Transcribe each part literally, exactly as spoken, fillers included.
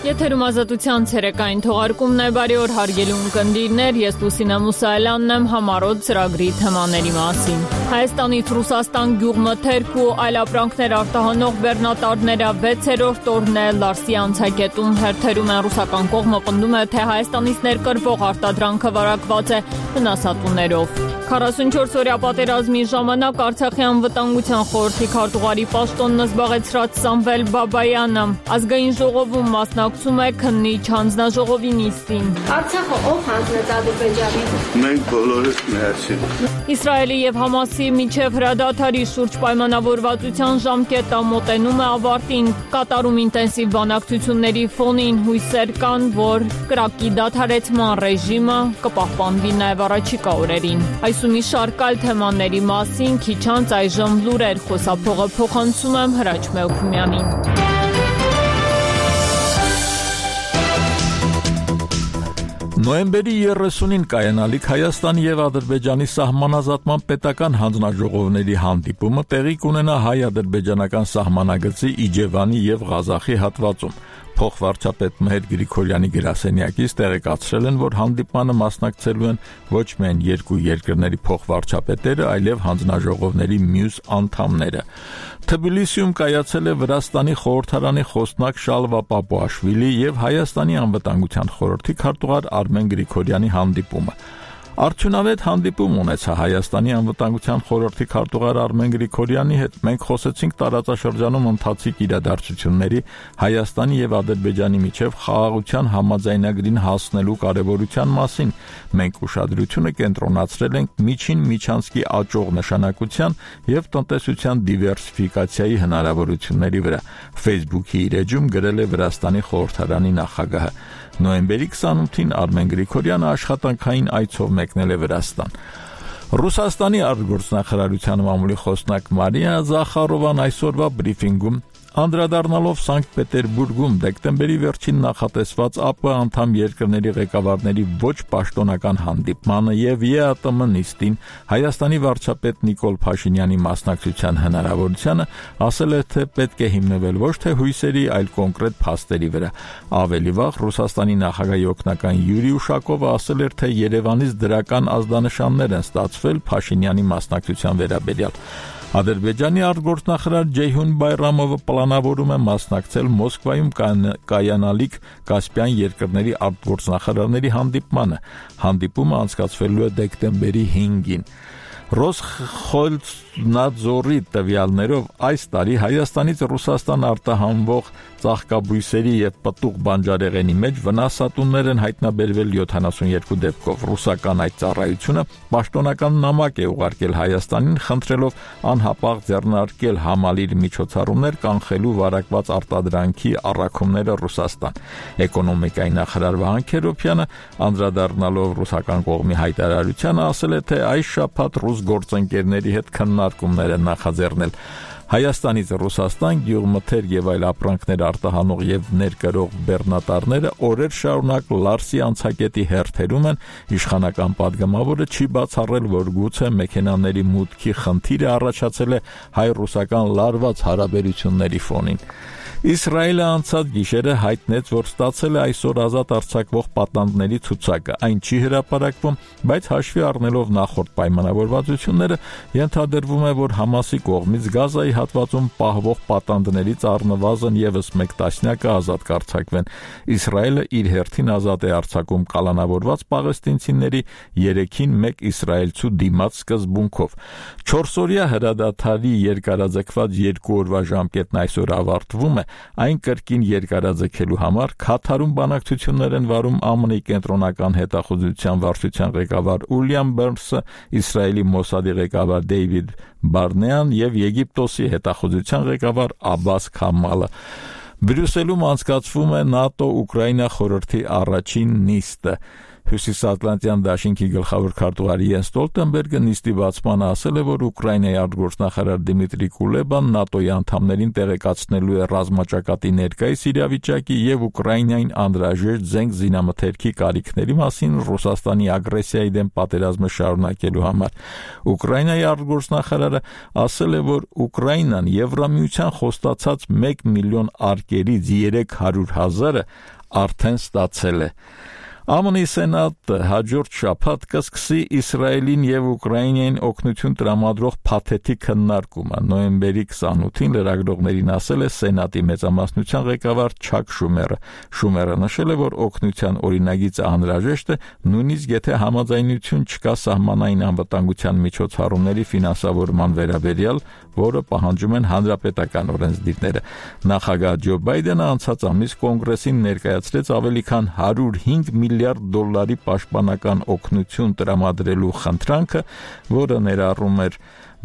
Եթերում ազատության ցերեկային թողարկումն է, բարի օր հարգելի ունկնդիրներ, ես Լուսինե Մուսայելյանն եմ համառոտ ծրագրի թեմաների մասին։ Հայաստանից Ռուսաստան գյուղմթերք ու այլ ապրանքներ արտահանող բեռնատարները վեցերորդ օրն է Լարսի անցակետում հերթերում են ռուսական կողմը պնդում է, թե Հայաստանից ներկրվող արտադրանքը վարակված է վնասատուներով։ քառասունչորս օրյա պատերազմի ժամանակ Արցախի անվտանգության խորհրդի քարտուղարի պաշտոնն զբաղեցրած Սամվել Բաբայանը ազգային ժողովում մասնակցում է քննիչ հանձնաժողովի նիստին։ Արցախը ով հանձնեց Ադրբեջանին։ Մենք բոլորս միասին։ Իսրայելի եւ Համասի միջև հրադադարի շուրջ պայմանավորվածության ժամկետը մոտենում է ավարտին։ Կատարում ինտենսիվ բանակցությունների ֆոնին հույսեր կան, որ կրակի դադարեցման ռեժիմը կպահպանվի նաեւ առաջիկա օրերին։ Այս ու մի շարք այլ թեմաների մասին քիչ անց այժմ լուրեր խոսափողը փոխանցում եմ Հրաչ Մելքումյանին։ Նոյեմբերի երեսունին կայանալիք Հայաստանի եւ Ադրբեջանի սահմանազատման պետական հանձնաժողովների հանդիպումը տեղի կունենա հայ-ադրբեջանական սահմանագծի Իջևանի եւ Ղազախի հատվածում։ Փոխվարչապետ Մհեր Գրիգորյանի գրասենյակից տեղեկացրել են, որ հանդիպմանը մասնակցելու են ոչ միայն երկու երկրների փոխվարչապետերը, այլև հանձնաժողովների մյուս անդամները։ Թբիլիսիում կայացել է Վրաստանի խորհրդարանի խոսնակ Շալվա Պապուաշվիլի եւ Հայաստանի անվտանգության խորհրդի քարտուղար Արմեն Գրիգորյանի հանդիպումը։ Արդյունավետ հանդիպում ունեցա Հայաստանի անվտանգության խորհրդի քարտուղար Արմեն Գրիգորյանի հետ։ Մենք խոսեցինք տարածաշրջանում ընթացիկ իրադարձությունների, Հայաստանի եւ Ադրբեջանի միջև խաղաղության համաձայնագրին հասնելու կարեւորության մասին։ Մենք ուշադրությունը կենտրոնացրել ենք միջին միջանցքի աճող նշանակության եւ տնտեսության դիվերսիֆիկացիայի հնարավորությունների վրա։ Facebook-ի իր էջում գրել է Վրաստանի խորհրդարանի նախագահը։ Նոյեմբերի քսանութին Արմեն Գրիգորյանը աշխատանքային այցով մեկնել է Վրաստան։ Ռուսաստանի արտգործնախարարության մամուլի խոսնակ Մարիա Զախարովան այսօրվա բրիֆինգում անդրադառնալով Սանկտ Պետերբուրգում դեկտեմբերի վերջին նախատեսված ԱՊ անդամ երկրների ղեկավարների ոչ պաշտոնական հանդիպմանը եւ ԵԱՏՄ նիստին Հայաստանի վարչապետ Նիկոլ Փաշինյանի մասնակցության հնարավորությանը ասել է, թե պետք է հիմնվել ոչ թե հույսերի, այլ կոնկրետ փաստերի վրա։ Ավելի վաղ Ռուսաստանի նախագահի օգնական Յուրի Ուշակովը ասել էր, թե Երևանից դրական ազդանշաններ են ստացվել Փաշինյանի մասնակցության վերաբերյալ։ Ադրբեջանի արտգործնախարար Ջեյհուն Բայրամովը պլանավորում է մասնակցել Մոսկվայում կայանալիք Կասպյան երկրների արտգործնախարարների հանդիպմանը։ Հանդիպումը անցկացվելու է դեկտեմբերի հինգին։ Ռոսխոզնադզորի տվյալներով այս տարի Հայաստանից Ռուսաստան արտահանվող ծաղկաբույսերի եւ պտուղ բանջարեղենի մեջ վնասատուներ են հայտնաբերվել յոթանասունյոթ դեպքով։ Ռուսական այդ ծառայությունը պաշտոնական նամակ է ուղարկել Հայաստանին, խնդրելով անհապաղ ձեռնարկել համալիր միջոցառումներ կանխելու վարակված արտադրանքի առաքումները Ռուսաստան։ Էկոնոմիկայի նախարար Վահան Քերոբյանը անդրադառնալով ռուսական կողմի հայտարարությանը ասել է, թե այս շաբաթ ռուս գործընկերների հետ քննարկումներ են նախաձեռնել։ Հայաստանից Ռուսաստան գյուղմթերք եւ այլ ապրանքներ արտահանող եւ ներկրող բեռնատարները օրեր շարունակ Լարսի անցակետի հերթերում են։ Իշխանական падգամավորը չի բացառել, որ գուցե մեքենաների մուտքի խնդիրը առաջացել է հայ-ռուսական լարված հարաբերությունների ֆոնին։ Իսրայելը անցած գիշերը հայտնեց, որ ստացել է այսօր ազատ արձակվող պատանդների ցուցակը։ Այն չի հրապարակվում, բայց հաշվի առնելով նախորդ պայմանավորվածությունները, ենթադրվում է, որ Համասի կողմից Գազայի հատվածում պահվող պատանդներից առնվազն եւս մեկ տասնյակը ազատ կարձակվեն։ Իսրայելը իր հերթին ազատ է արձակում կալանավորված պաղեստինցիների երեքին մեկ իսրայելցու դիմաց սկզբունքով։ Չորսօրյա հրադադարի երկարաձգված երկու օրվա ժամկետն այսօր ավարտվում է։ Այն կրկին երկարաձգելու համար Քաթարում բանակցություններ են վարում ԱՄՆ-ի կենտրոնական հետախուզության վարչության ղեկավար Ուիլյամ Բերնսը, Իսրայելի Մոսադի ղեկավար Դեյվիդ Բարնեան եւ Եգիպտոսի հետախուզության ղեկավար Աբբաս Քամալը։ Բրյուսելում անցկացվում է ՆԱՏՕ-Ուկրաինա խորհրդի առաջին նիստը։ Հյուսիսատլանտյան դաշինքի գլխավոր քարտուղար Յենս Ստոլտենբերգը նիստի բացմանը ասել է, որ Ուկրաինայի արտգործնախարար Դիմիտրի Կուլեբան ՆԱՏՕ-ի անդամներին տեղեկացնելու է ռազմաճակատի ներկայիս իրավիճակի եւ Ուկրաինային անհրաժեշտ զենք զինամթերքի կարիքների մասին Ռուսաստանի ագրեսիայի դեմ պատերազմը շարունակելու համար։ Ուկրաինայի արտգործնախարարը ասել է, որ Ուկրաինան Եվրամիության խոստացած մեկ միլիոն արկերից երեք հարյուր հազարը արդեն ստացել է։ ԱՄՆ-ի Սենատը հաջորդ շաբաթ կսկսի Իսրայելին եւ Ուկրաինային օգնություն տրամադրող փաթեթի քննարկումը։ Նոյեմբերի քսանութին լրագրողներին ասել է Սենատի մեծամասնության ղեկավար Չակ Շումերը։ Շումերը նշել է, որ օգնության օրինագիծը անհրաժեշտ է, նույնիսկ եթե համաձայնություն չկա սահմանային անվտանգության միջոցառումների ֆինանսավորման վերաբերյալ, որը պահանջում են հանրապետական օրենսդիրները։ Նախագահ Ջո Բայդենը անցած ամիս կոնգրեսին ներկայացրեց ավելի քան հարյուր հինգ միլիարդ դոլարի պաշտպանական օգնություն տրամադրելու խնդրանքը, որը ներառում էր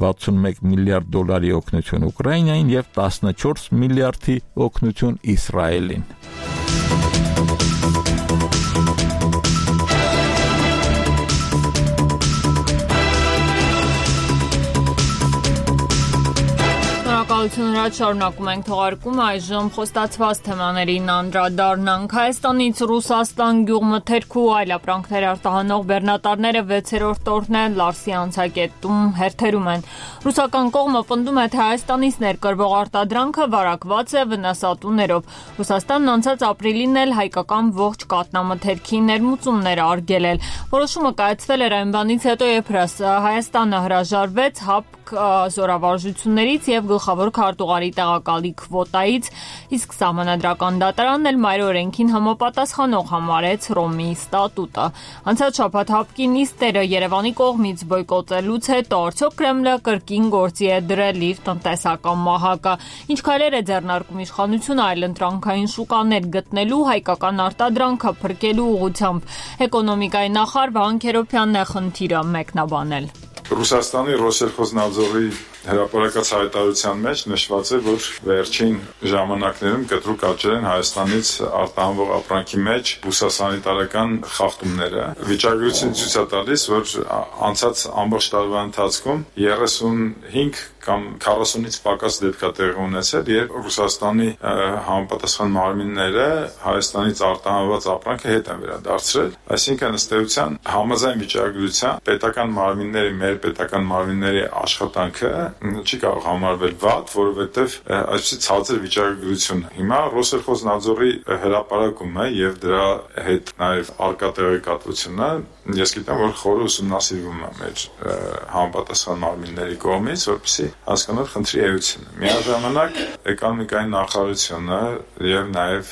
վաթսունմեկ միլիարդ դոլարի օգնություն Ուկրաինային եւ տասնչորս միլիարդի օգնություն Իսրայելին։ Շնորհակալություն, շարունակում ենք թողարկումը, այժմ խոստացված թեմաներին անդրադառնանք։ Հայաստանից Ռուսաստան գյուղմթերք ու այլ ապրանքներ արտահանող բեռնատարները վեցերորդ օրն են Լարսի անցակետում հերթերում են։ Ռուսական կողմը պնդում է, թե Հայաստանից ներկրվող արտադրանքը վարակված է վնասատուներով։ Ռուսաստանն անցած ապրիլին էլ հայկական ողջ կատնամթերքի ներմուծումներ արգելել էր։ Որոշումը կայացվել էր այն բանից հետո, երբ Հայաստանը հրաժարվեց ՀԱՊԿ զորավարժություններից եւ գլխավոր քարտուղարի տեղակալի քվոտայից, իսկ Սահմանադրական դատարանն էլ մայր օրենքին համապատասխանող համարեց Հռոմի ստատուտը։ Անցած շաբաթ ՀԱՊԿ-ի նիստերը Երևանի կողմից բոյկոտելուց հետո արդյոք Կրեմլը կրկին գործի է դրել իր տնտեսական մահակը, ինչ քայլեր է ձեռնարկում իշխանությունը այլընտրանքային շուկաներ գտնելու, հայկական արտադրանքը փրկելու ուղղությամբ։ Էկոնոմիկայի նախարար Վահան Քերոբյանն է խնդիրը մեկնաբանել։ Ռուսաստանի Ռոսելխոզնadzorի հրապարակած հայտարարության մեջ նշված է, որ վերջին ժամանակներում կտրուկ աճել են Հայաստանից արտահանվող ապրանքի մեջ բուսասանիտարական խախտումները։ Վիճակագրությունը ցույց է տալիս, որ անցած ամբողջ տարվա ընթացքում երեսունհինգ կամ քառասունից պակաս դեպք է տեղի ունեցել, երբ Ռուսաստանի համապատասխան մարմինները Հայաստանից արտահանված ապրանքը հետ են վերադարձրել, այսինքն ըստ էության համաձայն վիճակագրության պետական մարմինների, մեր պետական մարմինների աշխատանքը չի կարող համարվել վատ, որովհետև այսպիսի ցածր վիճակագրություն։ Հիմա Ռոսելխոզնadzorի հրապարակումը եւ դրա հետ նաեւ արկա տեղեկատվությունը, ես գիտեմ, որ խորը ուսումնասիրվում է մեր համապատասխան մարմինների կողմից, որպեսզի հասկանալ խնդրի էությունը։ Միաժամանակ էկոնոմիկայի նախարարությունը եւ նաեւ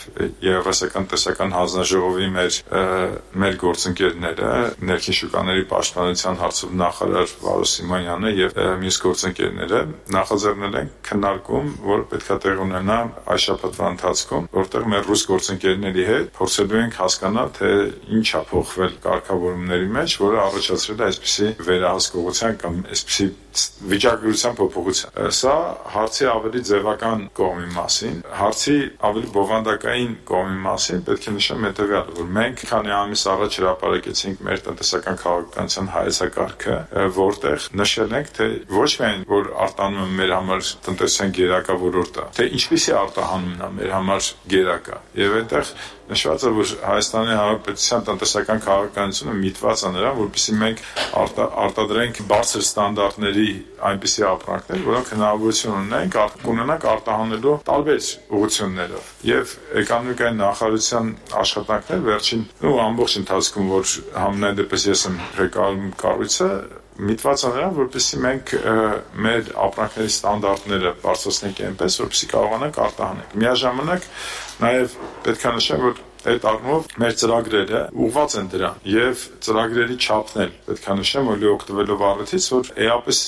Եվրասիական տնտեսական հանձնաժողովի մեր մեր գործընկերները, ներքին շուկաների պաշտպանության հարցով նախարար Վարո Սիմոնյանը եւ մյուս գործընկերները նախաձեռնել են քննարկում, որ պետք է տեղ ունենա այս շաբաթվա ընթացքում, որտեղ մեր ռուս գործընկերների հետ փորձելու ենք հասկանալ, թե ինչ է փոխվել կարգավորումների մեջ, որը առաջացրել է այսպիսի վերահսկողության կամ այսպիսի վիճակագրության փոփոխություն։ Սա հարցի ավելի ձևական կողմի մասին, հարցի ավելի բովանդակային կողմի մասին պետք է նշեմ հետևյալը, որ մենք քանի ամիս առաջ հրապարակեցինք մեր տնտեսական քաղաքականության հայեցակարգը, որտեղ նշել ենք, թե ոչ միայն որ արտանում է մեր համար տնտեսության գերակա ոլորտը, թե ինչպիսի արտահանումն է մեր համար գերակա, եւ այդտեղ նշված է, որ Հայաստանի Հանրապետության տնտեսական քաղաքականությունը միտված է նրան, որպեսզի մենք արտադրենք բարձր ստանդարտների այնպիսի ապրանքներ, որոնք հնարավորություն ունեն ունենանք արտահանելու տարբեր ուղղություններով։ Եվ էկոնոմիկայի նախարարության աշխատանքները վերջին ու ամբողջ ընթացքում, որ համենայն դեպս ես եմ ղեկավարում կառույցը, միտված է նրան, որպեսզի մենք մեր ապրանքների ստանդարտները բարձրացնենք այնպես, որպեսզի կարողանանք արտահանել։ Միաժամանակ նաև պետք է նշեմ, որ այդ առումով մեր ծրագրերը ուղղված են դրան եւ ծրագրերի չափն էլ պետք է նշեմ, որ օգտվելով առիթից, որ էապես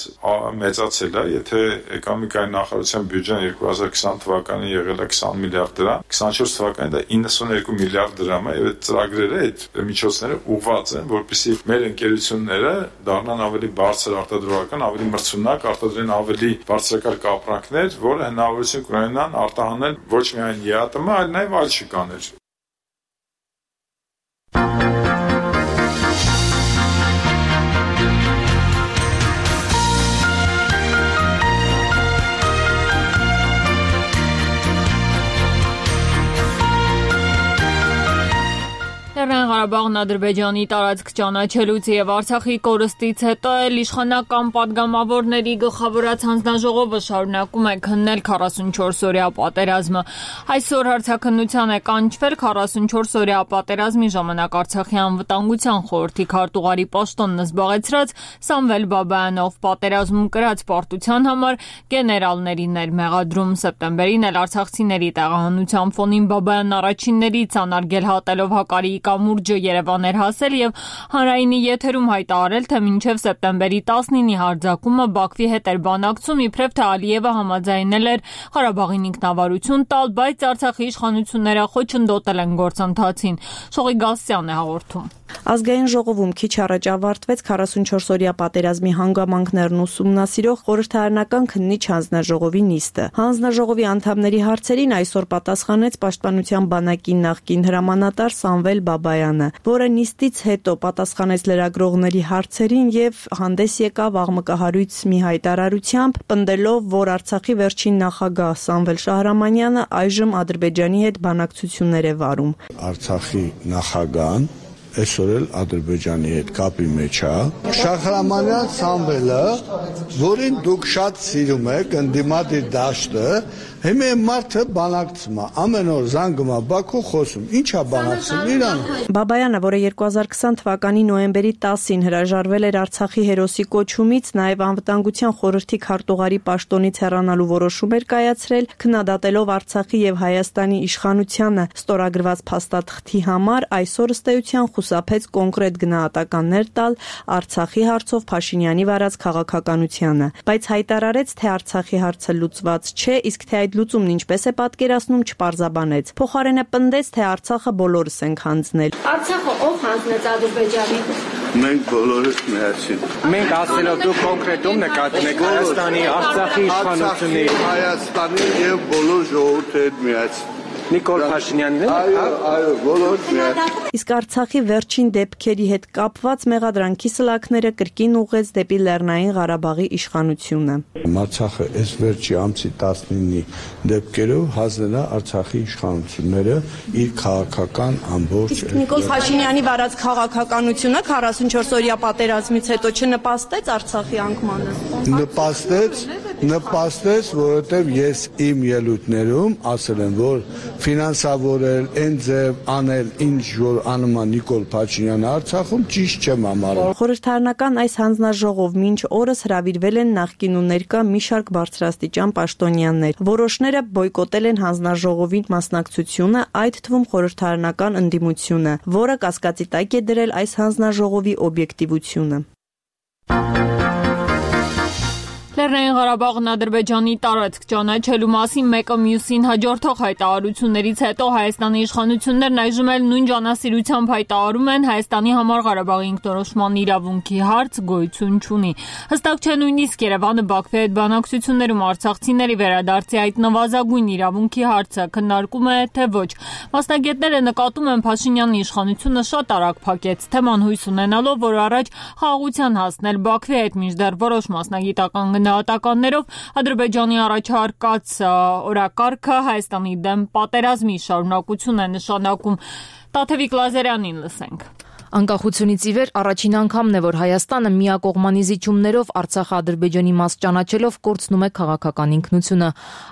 մեծացել է, եթե էկոնոմիկայի նախարարության բյուջեն երկու հազար քսան թվականին եղել է քսան միլիարդ դրամ, քսանչորս թվականին դա իննսունհինգ միլիարդ դրամ է եւ այդ ծրագրերը, այդ միջոցները ուղղված են, որպեսզի մեր ընկերությունները դառնան ավելի բարձր արտադրողական, ավելի մրցունակ, արտադրեն ավելի բարձրակարգ ապրանքներ, որը հնարավորություն կունենան արտահանել ոչ միայն ԵԱՏՄ, այլ նաեւ այլ շուկաներ։ Ղարաբաղն Ադրբեջանի տարածք ճանաչելուց եւ Արցախի կորստից հետո էլ իշխանական падգամավորների գլխավորած հանձնաժողովը շարունակում է քննել քառասունչորս-օրյա պատերազմը։ Այսօր հարցաքննության է կանչվել քառասունչորս-օրյա պատերազմի ժամանակ Արցախի անվտանգության խորհրդի քարտուղարի պաշտոնն զբաղեցրած Սամվել Բաբայանով պատերազմում կրած պարտության համար գեներալներին էր մեղադրում։ Սեպտեմբերին էլ արցախցիների տեղահանության ֆոնին Բաբայանն առաջիններից անարգել հատելով Հակարիի կամուրջը Երևան էր հասել եւ հանրայինի եթերում հայտարարել, թե մինչեւ սեպտեմբերի տասնինի հարձակումը Բաքվի հետ էր բանակցում, իբրև թե Ալիևը համաձայնել էր Ղարաբաղին ինքնավարություն տալ, բայց Արցախի իշխանությունները խոչընդոտել են գործընթացին։ Շողի Գասյանն է հաղորդում։ Ազգային ժողովում քիչ առաջ ավարտվեց քառասունչորս-օրյա պատերազմի հանգամանքներն ուսումնասիրող խորհրդարանական քննիչ հանձնաժողովի նիստը։ Հանձնաժողովի անդամների հարցերին այսօր պատասխանեց Պաշտպանության բանակի նախկին հրամանատար Սամվել Բաբայանը, որը նիստից հետո պատասխանեց լրագրողների հարցերին եւ հանդես եկավ աղմկահարույց մի հայտարարությամբ, պնդելով, որ Արցախի վերջին նախագահ Սամվել Շահրամանյանը այժմ Ադրբեջանի հետ բանակցություններ է վարում։ Արցախի նախագահան այսօր էլ Ադրբեջանի հետ կապի մեջ է։ Շահրամանյան Սամվելը, որին դուք շատ սիրում եք, ընդդիմադիր դաշտը, հիմա մարդը բանակցում է, ամեն օր զանգում է Բաքու խոսում, ի՞նչ է բանակցում Իրան։ Բաբայանը, որը երկու հազար քսան թվականի նոյեմբերի տասին հրաժարվել էր Արցախի հերոսի կոչումից, նաև անվտանգության խորհրդի քարտուղարի պաշտոնից հեռանալու որոշում էր կայացրել, քննադատելով Արցախի եւ Հայաստանի իշխանությանը ստորագրված փաստաթղթի համար, այսօր ըստ էության խուսափեց կոնկրետ գնահատականներ տալ Արցախի հարցով Փաշինյանի վարած քաղաքականությանը, բայց հայտարարեց, թե Արցախի հարցը լուծված չէ, իսկ թե այդ լուծումն ինչպես է պատկերացնում չպարզաբանեց։ Փոխարենը պնդեց, թե Արցախը բոլորս ենք հանձնել։ Արցախը ով հանձնեց Ադրբեջանին։ Մենք բոլորս միասին։ Մենք ասելով դուք կոնկրետում նկատում եք Հայաստանի, Արցախի իշխանությունների, Հայաստանի եւ բոլոր ժողովրդի հետ միասին։ Նիկոլ Փաշինյանն է։ Այո, այո, բոլորս միասին։ Իսկ Արցախի վերջին դեպքերի հետ կապված մեղադրանքի սլաքները կրկին ուղղեց դեպի Լեռնային Ղարաբաղի իշխանությունը։ Արցախը այս վերջի ամսի տասնինի դեպքերով հանձնել է Արցախի իշխանությունները իր քաղաքական ամբողջ։ Իսկ Նիկոլ Փաշինյանի վարած քաղաքականությունը քառասունչորս-օրյա պատերազմից հետո չնպաստեց Արցախի անկմանը։ Նպաստեց, նպաստեց, որովհետև ես իմ ելույթներում ասել եմ, որ ֆինանսավորել, ընձև անել ինչ որ անում է Նիկոլ Փաշինյանը Արցախում ճիշտ չեմ համարում։ Խորհրդարանական այս հանձնաժողով մինչ օրս հրավիրվել են նախկին ու ներկա մի շարք բարձրաստիճան պաշտոնյաներ։ Որոշները բոյկոտել են հանձնաժողովին մասնակցությունը, այդ թվում խորհրդարանական ընդդիմությունը, որը կասկածի տակ է դրել այս հանձնաժողովի օբյեկտիվությունը։ Լեռնային Ղարաբաղն Ադրբեջանի տարածք ճանաչելու մասին մեկը մյուսին հաջորդող հայտարարություններից հետո Հայաստանի իշխանություններն այժմ էլ նույն ջանասիրությամբ հայտարարում են Հայաստանի համար Ղարաբաղի ինքնորոշման իրավունքի հարց գոյություն չունի։ Հստակ չէ նույնիսկ Երևանը Բաքվի հետ բանակցություններում արցախցիների վերադարձի այդ նվազագույն իրավունքի հարցը քննարկում է, թե ոչ։ Մասնագետները նկատում են Փաշինյանի իշխանությունը շատ արագ փակեց թեման հույս ունենալով, որ առաջ խաղաղության հասնել Բաքվի հետ, մինչդեռ որոշ մասնագիտական գնահատականներով Ադրբեջանի առաջարկած օրակարգը Հայաստանի դեմ պատերազմի շարունակություն է նշանակում։ Տաթևիկ Լազարյանին լսենք։ Անկախությունից ի վեր առաջին անգամն է, որ Հայաստանը միակողմանի զիջումներով Արցախը Ադրբեջանի մաս ճանաչելով կորցնում է քաղաքական ինքնությունը,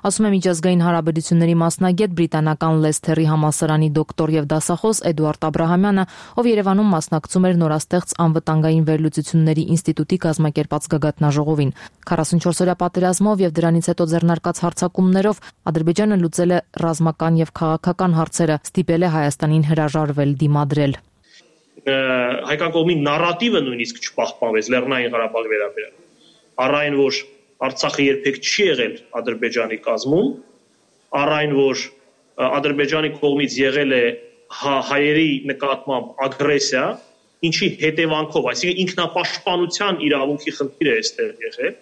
ասում է միջազգային հարաբերությունների մասնագետ բրիտանական Լեսթերի համալսարանի դոկտոր եւ դասախոս Էդուարդ Աբրահամյանը, ով Երևանում մասնակցում էր նորաստեղծ անվտանգային վերլուծությունների ինստիտուտի կազմակերպած գագաթնաժողովին։ քառասունչորս-օրյա պատերազմով եւ դրանից հետո ձեռնարկած հարձակումներով Ադրբեջանը լուծել է ռազմական եւ քաղաքական հարցերը, ստիպել է Հայաստանին հրաժարվել, դիմադրել։ Հայկական կողմի նարատիվը նույնիսկ չպահպանվեց Լեռնային Ղարաբաղի վերաբերյալ։ Առ այն, որ Արցախը երբեք չի եղել Ադրբեջանի կազմում, առ այն, որ Ադրբեջանի կողմից եղել է հայերի նկատմամբ ագրեսիա, ինչի հետևանքով, այսինքն ինքնապաշտպանության իրավունքի խնդիր է այստեղ եղել,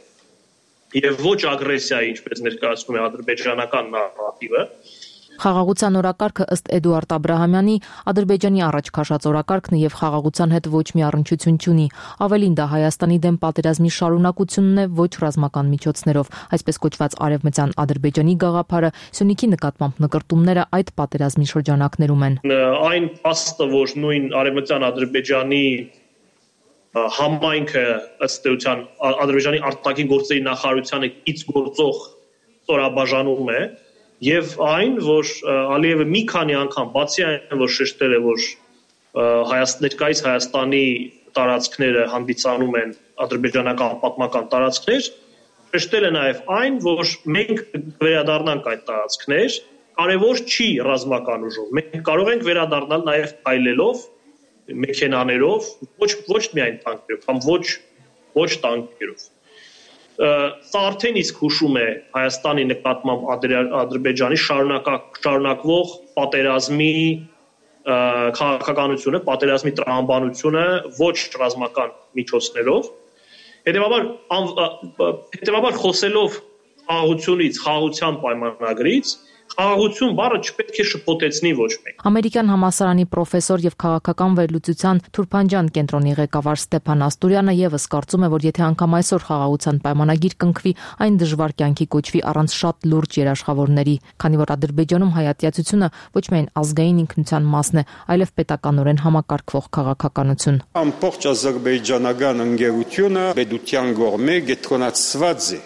եւ ոչ ագրեսիայի, ինչպես ներկայացնում է ադրբեջանական նարատիվը, Խաղաղության օրակարգը ըստ Էդուարդ Աբրահամյանի Ադրբեջանի առաջ քաշած օրակարգն է եւ խաղաղության հետ ոչ մի առնչություն չունի։ Ավելին, դա Հայաստանի դեմ պատերազմի շարունակությունն է ոչ ռազմական միջոցներով, այսպես կոչված արևմտյան Ադրբեջանի գաղափարը, Սյունիքի նկատմամբ նկրտումները այդ պատերազմի շրջանակներում են։ Այն փաստը, որ նույն արևմտյան Ադրբեջանի համայնքը ըստ էության Ադրբեջանի արտաքին գործերի նախարարությանը ից գործող ստորաբաժանում է, եւ այն, որ Ալիևը մի քանի անգամ բացի այն, որ շեշտել է, որ ներկայիս Հայաստանի տարածքները հանդիսանում են ադրբեջանական պատմական տարածքներ, շեշտել է նաեւ այն, որ մենք վերադառնանք այդ տարածքներ, կարևոր չի ռազմական ուժով, մենք կարող ենք վերադառնալ նաեւ այլելով, մեքենաներով, ոչ ոչ միայն տանկերով, կամ ոչ ոչ տանկերով։ Սա արդեն իսկ հուշում է Հայաստանի նկատմամբ Ադրբեջանի շարունակվող պատերազմի քաղաքականությունը, պատերազմի տրամաբանությունը ոչ ռազմական միջոցներով։ Հետևաբար հետևաբար խոսելով խաղաղությունից, խաղաղության պայմանագրից, խաղաղություն բառը չպետք է շփոթեցնի ոչ մեկ։ Ամերիկյան համալսարանի պրոֆեսոր եւ քաղաքական վերլուծության Թուրփանջան կենտրոնի ղեկավար Ստեփան Աստուրյանը եւս կարծում է, որ եթե անգամ այսօր խաղաղության պայմանագիր կնքվի, այն դժվար կյանքի կոչվի առանց շատ լուրջ երաշխավորների, քանի որ Ադրբեջանում հայատյացությունը ոչ միայն ազգային ինքնության մասն է, այլև պետականորեն համակարգվող քաղաքականություն։ Ամբողջ ազերբայջանական ընկերությունը պետության կողմէ գետրոնացված է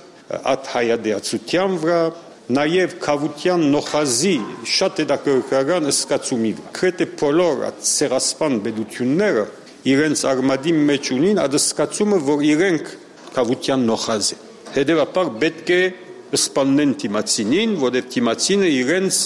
այդ հայատյացության վրա Նաև քավության նոխազի շատ հետաքրքրական զգացումի վրա։ Քրեթե բոլոր ցեղասպան պետությունները իրենց արմատի մեջ ունին այդ զգացումը, որ իրենք քավության նոխազ են։ Հետևաբար պետք է սպանեն թիմացինին, որովհետև թիմացինը իրենց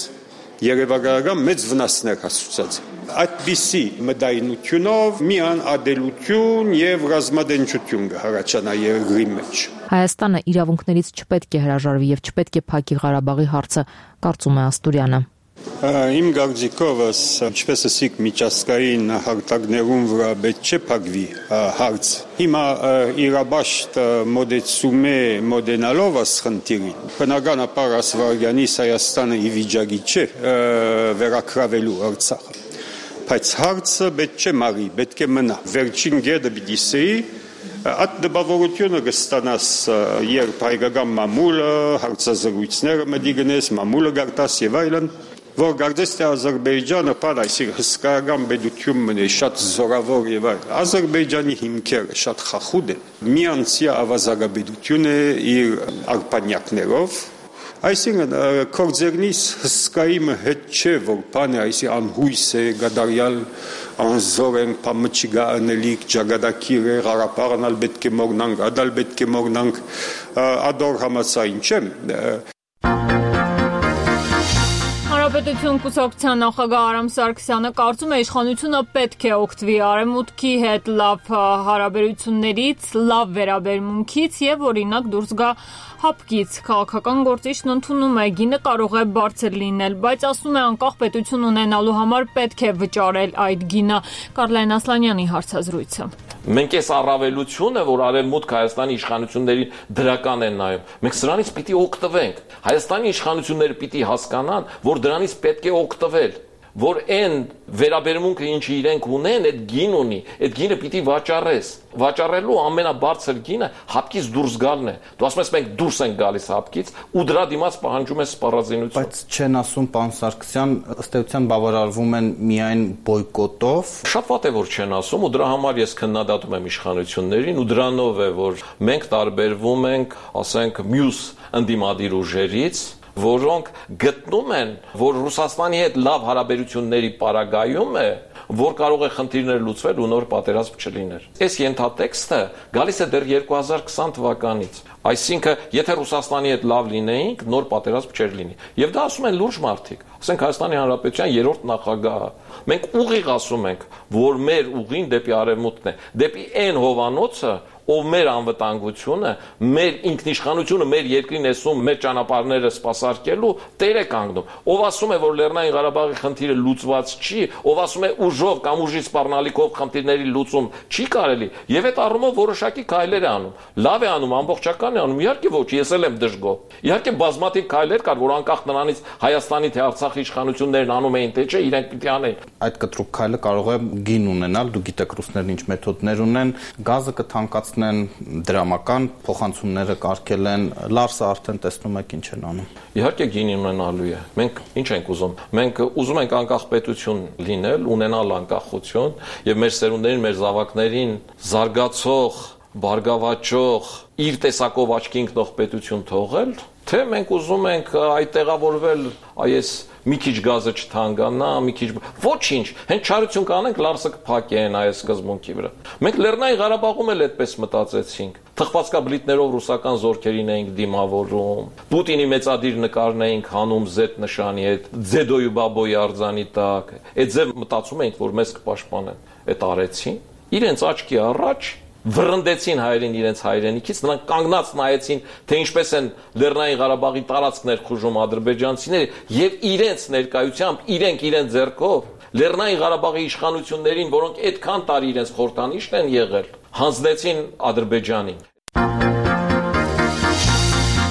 երևակայական մեծ վնասներ հասցուցած է։ Այդպիսի մտայնությունով միան ադելություն եւ ռազմադենչություն կհարաճանա երկրի մեջ։ Հայաստանը իրավունքներից չպետք է հրաժարվի եւ չպետք է փակի Ղարաբաղի հարցը, կարծում է Աստուրյանը։ Իմ գարձիկովս, ինչպես ասիկ միջազգային հարտակներում վրա պետք չէ փակվի հարց։ Հիմա իրաբաշտ մոդեցում է մոդենալով ասխնդիրին։ Բնականաբար Ասվարգյանից Հայաստանը ի վիճակի չէ վերակրավելու Արցախը։ Բայց հարցը պետք չէ մարի, պետք է մնա։ Վերջին գեդը պիտի սեի այդ դպավորությունը կստանաս երբ հայկական մամուլը, հարցազրույցները մտի գնես, մամուլը գարտաս եւ այլն, որ գարտես թե Ադրբեջանը պար այսինքն հսկայական պետություն մնի, շատ զորավոր եւ այլն։ Ադրբեջանի հիմքերը շատ խախուդ են։ Միանցի ավազագաբեդություն է իր արբանյակներով։ Այսինքն կորձերնից հսկայիմը հետ չէ, որ բանը այսի անհույս է, գադարյալ անզոր են, պամճիգա անելիք, ճագադակիր է, Ղարաբաղն ալ պետք է մորնանք, ադալ պետք է մորնանք, ադոր համացային չեմ։ Հանրապետություն կուսակցության նախագահ Արամ Սարգսյանը կարծում է իշխանությունը պետք է օգտվի արևմուտքի հետ լավ հարաբերություններից, լավ վերաբերմունքից եւ օրինակ դուրս գա հապկից։ Քաղաքական գործիչն ընդունում է գինը կարող է բարձր լինել, բայց ասում է անկախ պետություն ունենալու համար պետք է վճարել այդ գինը։ Կարլայն Ասլանյանի հարցազրույցը։ Մենք այս առավելությունը, որ արևմուտք Հայաստանի իշխանություններին դրական են նայում, մենք սրանից պիտի օգտվենք։ Հայաստանի իշխանությունները պիտի հասկանան, որ դրանից պետք է օգտվել, որ այն վերաբերմունքը ինչի իրենք ունեն, այդ գին ունի, այդ գինը պիտի վաճառես։ Վաճառելու ամենաբարձր գինը հապկից դուրս գալն է։ Դու ասում ես մենք դուրս ենք գալիս հապկից ու դրա դիմաց պահանջում ես սպառազինություն։ Բայց չեն ասում պարոն Սարգսյան, ըստ էության բավարարվում են միայն բոյկոտով։ Շատ վատ է որ չեն ասում ու դրա համար ես քննադատում եմ իշխանություններին ու դրանով է որ մենք տարբերվում ենք, ասենք, մյուս ընդդիմադիր ուժերից, որոնք գտնում են, որ Ռուսաստանի հետ լավ հարաբերությունների պարագայում է, որ կարող է խնդիրներ լուծվել ու նոր պատերազմ չլիներ։ Այս ենթատեքստը գալիս է դեռ երկու հազար քսան թվականից։ Այսինքն, եթե Ռուսաստանի հետ լավ լինեինք, նոր պատերազմ չէր լինի։ Եվ դա ասում են լուրջ մարդիկ։ Ասենք Հայաստանի Հանրապետության երրորդ նախագահը։ Մենք ուղիղ ասում ենք, որ մեր ուղին դեպի արևմուտքն է, դեպի այն հովանոցը, ով մեր անվտանգությունը, մեր ինքնիշխանությունը, մեր երկրի ներսում մեր ճանապարհները սպասարկելու տեր է կանգնում։ Ով ասում է, որ Լեռնային Ղարաբաղի խնդիրը լուծված չի, ով ասում է ուժով կամ ուժի սպառնալիքով խնդիրների լուծում չի կարելի, եւ այդ առումով որոշակի քայլեր է անում։ Լավ է անում, ամբողջական է անում, իհարկե ոչ, ես էլ եմ դժգոհ։ Իհարկե բազմաթիվ քայլեր կար, որ անկախ նրանից Հայաստանի թե Արցախի իշխանություններն անում էին, թե չէ, իրենք պիտի անեն։ Այդ կտրուկ քայլը կարող է գին ունենալ, դու գիտեք ռուսներն ինչ մեթոդներ ունեն, գազը կթանկացնեն, դրամական փոխանցումները կարգել են, Լարսը արդեն տեսնում եք ինչ են անում։ Իհարկե գին ունենալու է։ Մենք ինչ ենք ուզում։ Մենք ուզում ենք անկախ պետություն լինել, ունենալ անկախություն եւ մեր սերունդերին, մեր զավակներին զարգացող, բարգավաճող, իր տեսակով աչքի ընկնող պետություն թողել, թե մենք ուզում ենք այդ տեղավորվել, այս մի քիչ գազը չթանկանա, մի քիչ ոչինչ, հենց չարություն կանենք, Լարսը կփակեն այս սկզբունքի վրա։ Մենք Լեռնային Ղարաբաղում էլ այդպես մտածեցինք։ Թխվածքաբլիթներով ռուսական զորքերին էինք դիմավորում, Պուտինի մեծադիր նկարն էինք հանում զետ նշանի հետ, ձեդոյու բաբոյի արձանի տակ։ Այդ ձև մտածում էինք, որ մեզ կպաշտպանեն։ Այդ արեցին։ Իրենց աչքի առաջ վռնդեցին հայերին իրենց հայրենիքից, նրանք կանգնած նայեցին, թե ինչպես են Լեռնային Ղարաբաղի տարածքն ներխուժում ադրբեջանցիները եւ իրենց ներկայությամբ, իրենք իրենց ձեռքով Լեռնային Ղարաբաղի իշխանություններին, որոնք այդքան տարի իրենց խորհրդանիշն են եղել, հանձնեցին Ադրբեջանին։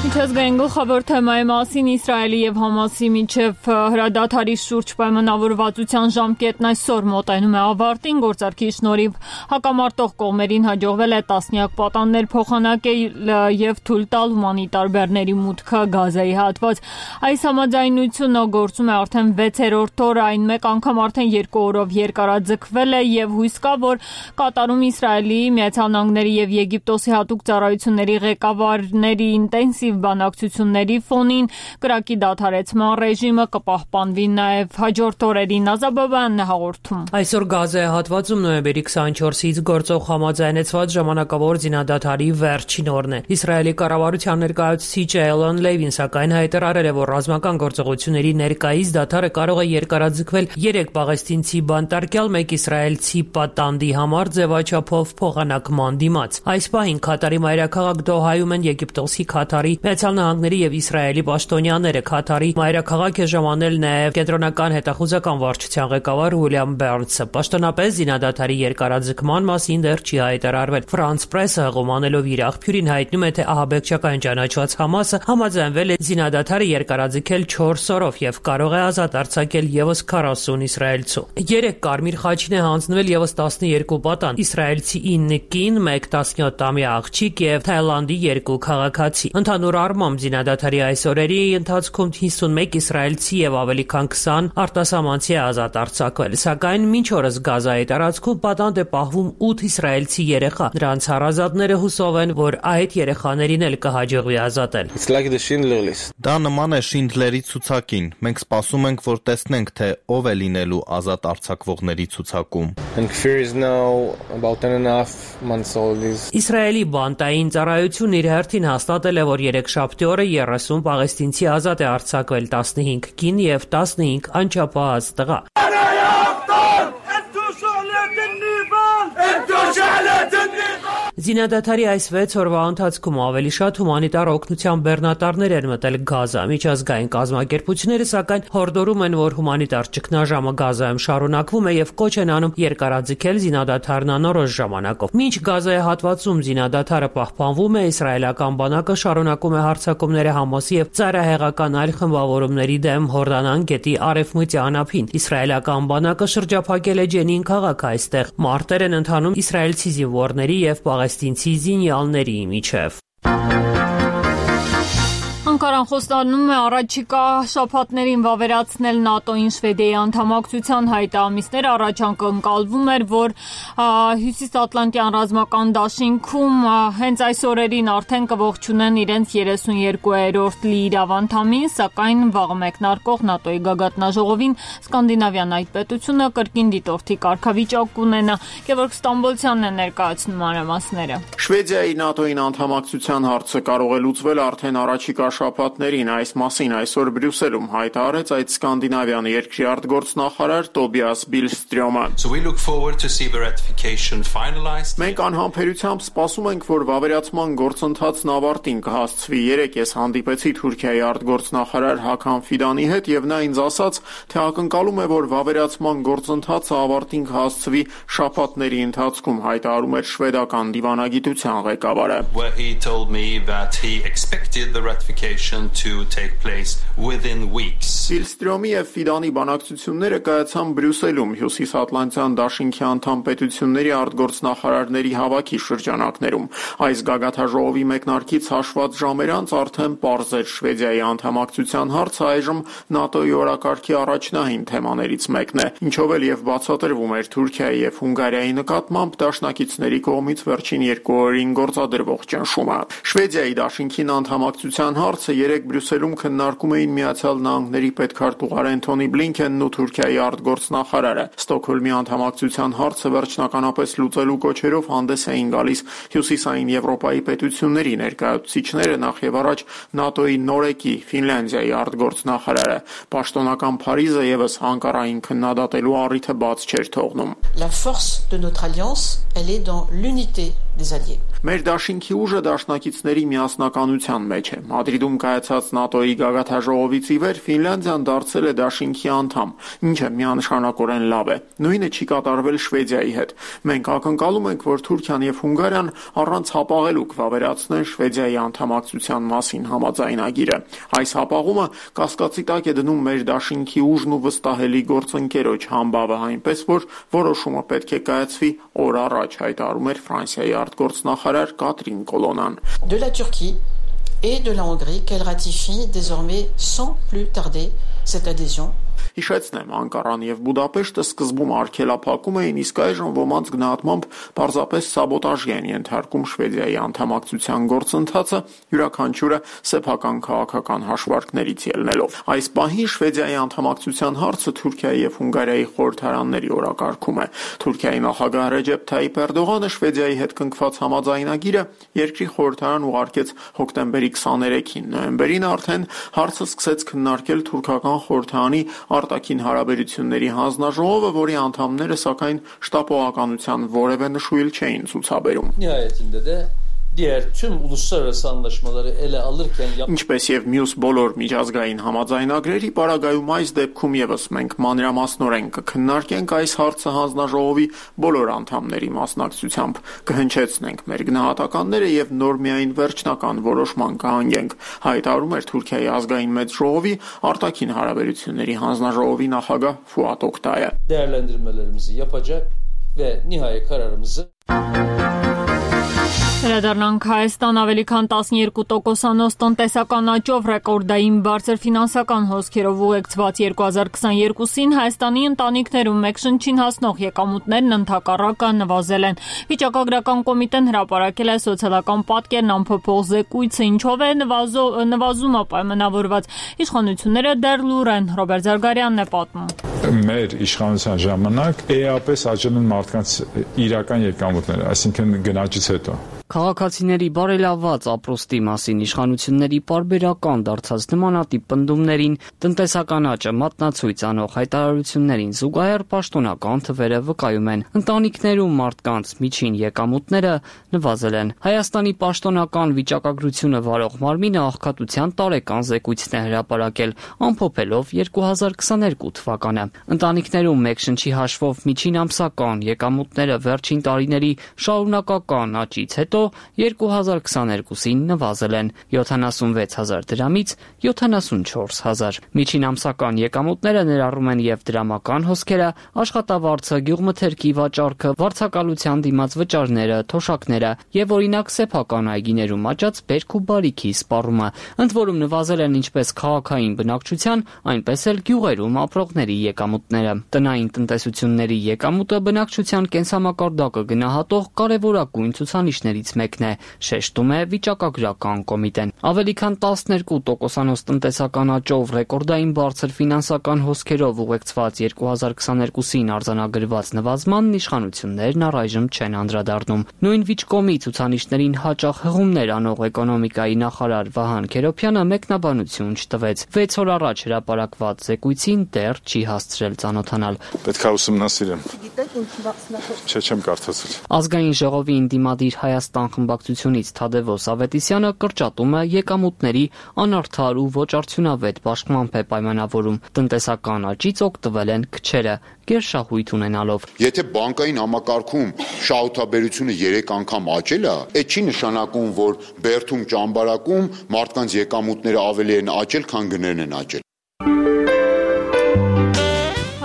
Միջազգային գլխավոր թեմայի մասին Իսրայելի եւ Համասի միջև հրադադարի շուրջ պայմանավորվածության ժամկետն այսօր մոտենում է ավարտին, գործարքի շնորհիվ հակամարտող կողմերին հաջողվել է տասնյակ պատաններ փոխանակել եւ թույլ տալ հումանիտար բեռների մուտքը Գազայի հատված։ Այս համաձայնությունը գործում է արդեն վեցերորդ օրը, այն մեկ անգամ արդեն երկու օրով երկարաձգվել է եւ հույս կա, որ Կատարում Իսրայելի, Միացյալ Նահանգների եւ Եգիպտոսի հատուկ ծառայությունների ղեկավարների ինտենսիվ բանակցությունների ֆոնին կրակի դադարեցման ռեժիմը կպահպանվի նաև հաջորդ օրերին Ազաբաբանն է հաղորդում։ Այսօր Գազայի հատվածում նոյեմբերի քսաներկուսից գործող համաձայնեցված ժամանակավոր զինադադարի վերջին օրն է։ Իսրայելի կառավարության ներկայացուցիչ Էյլոն Լևին սակայն հայտարարել է, որ ռազմական գործողությունների ներկայիս դադարը կարող է երկարաձգվել երեք պաղեստինցի բանտարկյալ, մեկ իսրայելցի պատանդի համար ձևաչափով փոխանակման դիմաց։ Այս պահին Քաթարի մայրաքաղաք Դոհայում են Եգիպտոսի, Քաթարի, Միացյալ Նահանգների եւ Իսրայելի պաշտոնյաները։ Քաթարի մայրաքաղաք է ժամանել նաեւ կենտրոնական հետախուզական վարչության ղեկավար Ուիլյամ Բերնսը։ Պաշտոնապես զինադադարի երկարաձգման մասին դեռ չի հայտարարվել։ Ֆրանս պրեսը հղումանելով իր աղբյուրին հայտնում է, թե ահաբեկչական ճանաչված Համասը համաձայնվել է զինադադարը երկարաձգել չորս օրով եւ կարող է ազատ արձակել եւս քառասուն իսրայելցու։ Երեք կարմիր խաչին է հանձնվել եւս տասնյոթ պատան, իսրայելցի ինը կին, մեկ տասնյոթամյա աղջիկ եւ Թայլանդի երկու քաղաքացի։ Ընդհանուր առմամբ զինադադարի այս օրերի ընթացքում հիսունմեկ իսրայելցի եւ ավելի քան քսան արտասահմանցի ազատ արձակվել, սակայն մինչ օրս Գազայի տարածքում պատանդ է պահվում ութ իսրայելցի երեխա։ Նրանց հարազատները հուսով են, որ այդ երեխաներին էլ կհաջողվի ազատել։ Դա նման է Շինդլերի ցուցակին։ Մենք սպասում ենք, որ տեսնենք, թե ով է լինելու ազատ արձակվողների ցուցակում։ Իսրայելի բանտային ծառայությունն իր հերթին հաստատել է, որ երեքշաբթի օրը երեսուն պաղեստինցի ազատ է արձակվել, տասնհինգ կին եւ տասնհինգ անչափահաս տղա։ Զինադադարի այս վեց օրվա ընթացքում ավելի շատ հումանիտար օգնության բեռնատարներ են մտել Գազա։ Միջազգային կազմակերպությունները սակայն հորդորում են, որ հումանիտար ճգնաժամը Գազայում շարունակվում է եւ կոչ են անում երկարաձգել զինադադարն անորոշ ժամանակով։ Մինչ Գազայի հատվածում զինադադարը պահպանվում է, իսրայելական բանակը շարունակում է հարձակումները Համասի եւ ծայրահեղական այլ խմբավորումների դեմ Հորդանան գետի արևմտյան ափին։ Իսրայելական բանակը շրջափակել է Ջենին քաղաքը, այստեղ մարտեր են ընթանում իսրայելցի զինվորների եւ պաղեստինցի զինյալների միջև։ Անկարան խոստանում է առաջիկա շաբաթներին վավերացնել ՆԱՏՕ-ին Շվեդիայի անդամակցության հայտը։ Ամիսներ առաջ անկալվում էր, որ Հյուսիսատլանտյան ռազմական դաշինքում հենց այս օրերին արդեն կողջունեն իրենց երեսունյոթերորդ լիիրավ անդամին, սակայն վաղ մեկնարկող ՆԱՏՕ-ի գագաթնաժողովին Սկանդինավյան այդ պետությունը կրկին դիտորդի կարգավիճակ կունենա։ Գևորգ Ստամբոլցյանն է ներկայացնում մանրամասները։ Շվեդիայի ՆԱՏՕ-ին անդամակցության հարցը կարող է լուծվել արդեն առաջիկա շաբաթներին։ Այս մասին այսօր Բրյուսելում հայտարարեց այդ սկանդինավյան երկրի արտգործնախարար Տոբիաս Բիլստրյոմը։ So we look forward to see the ratification finalized. Մենք անհամբերությամբ սպասում ենք, որ վավերացման գործընթացն ավարտին կհասցվի։ Երեկ ես հանդիպեցի Թուրքիայի արտգործնախարար Հական Ֆիդանի հետ եւ նա ինձ ասաց, թե ակնկալում է, որ վավերացման գործընթացը ավարտին կհասցվի շաբաթների ընթացքում, հայտարարում էր շվեդական դիվանագիտության ղեկավարը։ Where he told me that he expected the ratification to take place within weeks. Բիլստրյոմի եւ Ֆիդանի բանակցությունները կայացան Բրյուսելում Հյուսիսատլանտյան դաշինքի անդամ պետությունների արտգործնախարարների հավաքի շրջանակներում։ Այս գագաթաժողովի մեկնարկից հաշված ժամեր անց արդեն պարզ էր Շվեդիայի անդամակցության հարցը այժմ ՆԱՏՕ-ի օրակարգի առաջնահին թեմաներից մեկն է, ինչով էլ եւ բացատրվում էր Թուրքիայի եւ Հունգարիայի նկատմամբ դաշնակիցների կողմից վերջին երկու օրերին գործադրվող ճնշումը։ Շվեդիայի դաշինքին անդամակցության հարցը երեկ Բրյուսելում քննարկում էին Միացյալ Նահանգների պետքարտուղար Էնթոնի Բլինքենն ու Թուրքիայի արտգործնախարարը։ Ստոկհոլմի անդամակցության հարցը վերջնականապես լուծելու կոչերով հանդես էին գալիս Հյուսիսային Եվրոպայի պետությունների ներկայացուցիչները, նախ եւ առաջ ՆԱՏՕ-ի նորեկի Ֆինլանդիայի արտգործնախարարը։ Պաշտոնական Փարիզը եւս Անկարային քննադատելու առիթը բաց չէր թողնում։ La force de notre alliance, elle est dans l'unité des alliés. Մեր դաշինքի ուժը դաշնակիցների միասնականության մեջ է։ Մադրիդում կայացած ՆԱՏՕ-ի գագաթաժողովից ի վեր Ֆինլանդիան դարձել է դաշինքի անդամ, ինչը միանշանակորեն լավ է։ Նույնը չի կատարվել Շվեդիայի հետ։ Մենք ակնկալում ենք, որ Թուրքիան եւ Հունգարիան առանց հապաղելու կվավերացնեն Շվեդիայի անդամակցության մասին համաձայնագիրը։ Այս հապաղումը կասկածի տակ է դնում մեր դաշինքի ուժն ու վստահելի գործընկերոջ համբավը, այնպես որ որոշումը պետք է կայացվի օր առաջ, հայտարարում էր Ֆրանսիայի արտգործնախարար Կատրին Կոլոնան։ De la Turquie et de la Hongrie qu'elle ratifie désormais sans plus tarder cette adhésion. Հիշեցնեմ, Անկարան եւ Բուդապեշտը սկզբում արգելափակում էին, իսկ այժմ ոմանց գնահատմամբ պարզապես սաբոտաժի են ենթարկում Շվեդիայի անդամակցության գործընթացը, յուրաքանչյուրը սեփական քաղաքական հաշվարկներից ելնելով։ Այս պահին Շվեդիայի անդամակցության հարցը Թուրքիայի եւ Հունգարիայի խորհրդարանների օրակարգում է։ Թուրքիայի նախագահ Ռեջեփ Թայիփ Էրդողանը Շվեդիայի հետ կնքված համաձայնագիրը երկրի խորհրդարան ուղարկեց հոկտեմբերի քսաներեքին։ Նոյեմբերին արդեն հարցը սկսեց քննարկել թուրքական խորհրդարանի արտաքին հարաբերությունների հանձնաժողովը, որի անդամները սակայն շտապողականության որևէ նշույլ չէին ցուցաբերում։ Nihayetinde de diğer tüm uluslararası anlaşmaları ele alırken Ինչպես եւ մյուս բոլոր միջազգային համաձայնագրերի պարագայում այս դեպքում եւս մենք մանրամասնորեն կքննարկենք այս հարցը հանձնաժողովի բոլոր անդամների մասնակցությամբ, կհնչեցնենք մեր գնահատականները եւ նոր միայն վերջնական որոշման կհանգենք, հայտարարում էր Թուրքիայի ազգային մեծ ժողովի արտաքին հարաբերությունների հանձնաժողովի նախագահ Ֆուատ Օկտայը։ Değerlendirmelerimizi yapacak ve nihai kararımızı Վերադառնանք Հայաստան ավելի քան տասներկու տոկոսանոց տնտեսական աճով ռեկորդային բարձր ֆինանսական հոսքերով ուղեկցված երկու հազար քսաներկուսին Հայաստանի ընտանիքներում մեկ շնչին հասնող եկամուտներն ընդհակառակը նվազել են։ Վիճակագրական կոմիտեն հրապարակել է սոցիալական պատկերն ամփոփող զեկույցը, ինչով է նվազումը պայմանավորված։ Իշխանությունները դեռ լուր են։ Ռոբերտ Զարգարյանն է պատմում։ Մեր իշխանության ժամանակ էապես աճել են մարդկանց իրական եկամուտները, այսինքն գնաճից հետո։ Քաղաքացիների բարելավված ապրոստի մասին իշխանությունների պարբերական դարձած նմանատիպ պնդումներին, տնտեսական աճը մատնացույց անող հայտարարություններին զուգահեռ պաշտոնական թվերը վկայում են։ Ընտանիքներում մարդկանց միջին եկամուտները նվազել են։ Հայաստանի պաշտոնական վիճակագրությունը վարող մարմինը աղքատության տարեկան զեկույցն է հրապարակել, ամփոփելով երկու հազար քսաներկու թվականը։ Ընտանիքներում մեկ շնչի հաշվով միջին ամսական եկամուտները վերջին տարիների շարունակական աճից հետո երկու հազար քսաներկուսին նվազել են յոթանասունվեց հազար դրամից յոթանասունչորս հազար։ Միջին ամսական եկամուտները ներառում են եւ դրամական հոսքերը, աշխատավարձը, գյուղմթերքի վաճառքը, վարձակալության դիմաց վճարները, թոշակները եւ օրինակ սեփական այգիներում աճած բերք ու բարիքի սպառումը։ Ընդ որում նվազել են ինչպես քաղաքային բնակչության, այնպես էլ գյուղերում ապրողների եկամուտները։ Տնային տնտեսությունների եկամուտը բնակչության կենսամակարդակը գնահատող կարևորագույն ցուցանիշներից ծրագրերից մեկն է, շեշտում է վիճակագրական կոմիտեն։ Ավելի քան տասներկու տոկոսանոց տնտեսական աճով, ռեկորդային բարձր ֆինանսական հոսքերով ուղեկցված երկու հազար քսաներկուսին արձանագրված նվազմանն իշխանություններն առայժմ չեն անդրադառնում։ Նույն վիճկոմի ցուցանիշներին հաճախ հղումներ անող էկոնոմիկայի նախարար Վահան Քերոփյանը մեկնաբանություն չտվեց։ վեց օր առաջ հրապարակված զեկույցին դեռ չի հասցրել ծանոթանալ։ Պետք է ուսումնասիրեմ։ Չէ, չեմ կարդացել։ Ազգային ժողովի ընդդիմադիր Հայաստան խմբակցությունից Թադևոս Ավետիսյանը կրճատումը եկամուտների անարդար ու ոչ արդյունավետ բաշխմամբ է պայմանավորում։ Տնտեսական աճից օգտվել են քչերը, գերշահույթ ունենալով։ Եթե բանկային համակարգում շահութաբերությունը երեք անգամ աճել է, այդ չի նշանակում, որ բերդում ճամբարակում մարդկանց եկամուտները ավելի են աճել, քան գներն են աճել։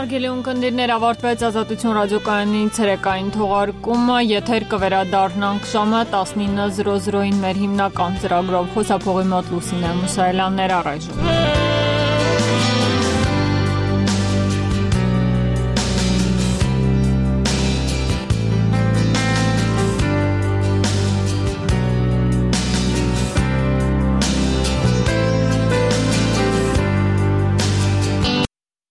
Հարգելի ունկնդիրներ, ավարտվեց Ազատություն ռադիոկայանի ցերեկային թողարկումը, եթեր կվերադառնանք ժամը տասնինը զրո զրոին մեր հիմնական ծրագրով։ Խոսափողի մոտ Լուսինե Մուսայելյաններ առայժմ։